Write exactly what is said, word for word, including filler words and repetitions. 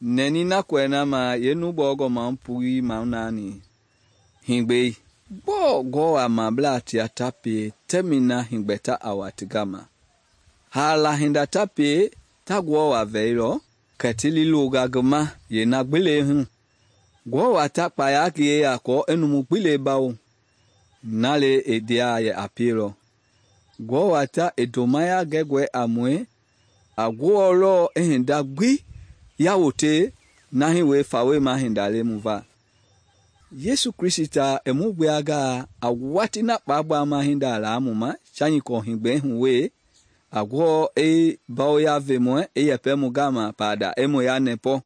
nɛni na kɔɛ na ma yenubɔgɔ ma pui ma nani hingbe gbɔɔ gɔwa mablaa tia ta pie tɛmina hingbɛta a wa ti gama hala hinda ta pie ta gɔwa vɛilɔ kɛ ti lilonga ngi ma yeena gbele hu gɔwa ta kpaya ngie ya kɔ enumu gbile bawo nale e dia ye a pielɔ gɔwa ta e domaya gɛgɔɛ a mue a gɔɔlɔ e hinda gbi ya wote na hi we fawe ma hinda le mu va Yesu Krista e mu gbeaga a wati na kpagba ma hinda la mu ma chani ko hingbe hu we a gɔ e bawo ya ve mu e yepɛ mu gama pada e mu ya nepo